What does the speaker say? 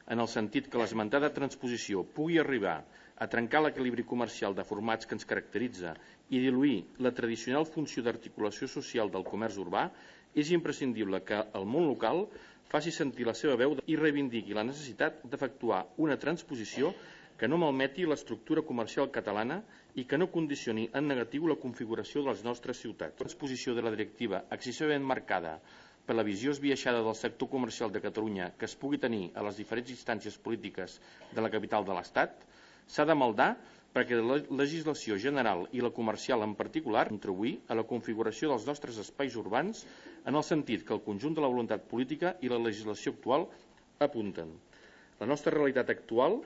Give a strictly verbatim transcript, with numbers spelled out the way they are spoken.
en el sentit que l'esmentada transposició pugui arribar a trencar l'equilibri comercial de formats que ens caracteritza i diluir la tradicional funció d'articulació social del comerç urbà, és imprescindible que el món local faci sentir la seva veu i reivindiqui la necessitat d'efectuar una transposició que no malmeti l'estructura comercial catalana i que no condicioni en negatiu la configuració de les nostres ciutats. La transposició de la directiva excessivament marcada per la visió esbiaixada del sector comercial de Catalunya que es pugui tenir a les diferents instàncies polítiques de la capital de l'Estat s'ha de maldar perquè la legislació general i la comercial en particular contribuir a la configuració dels nostres espais urbans en el sentit que el conjunt de la voluntat política i la legislació actual apunten. La nostra realitat actual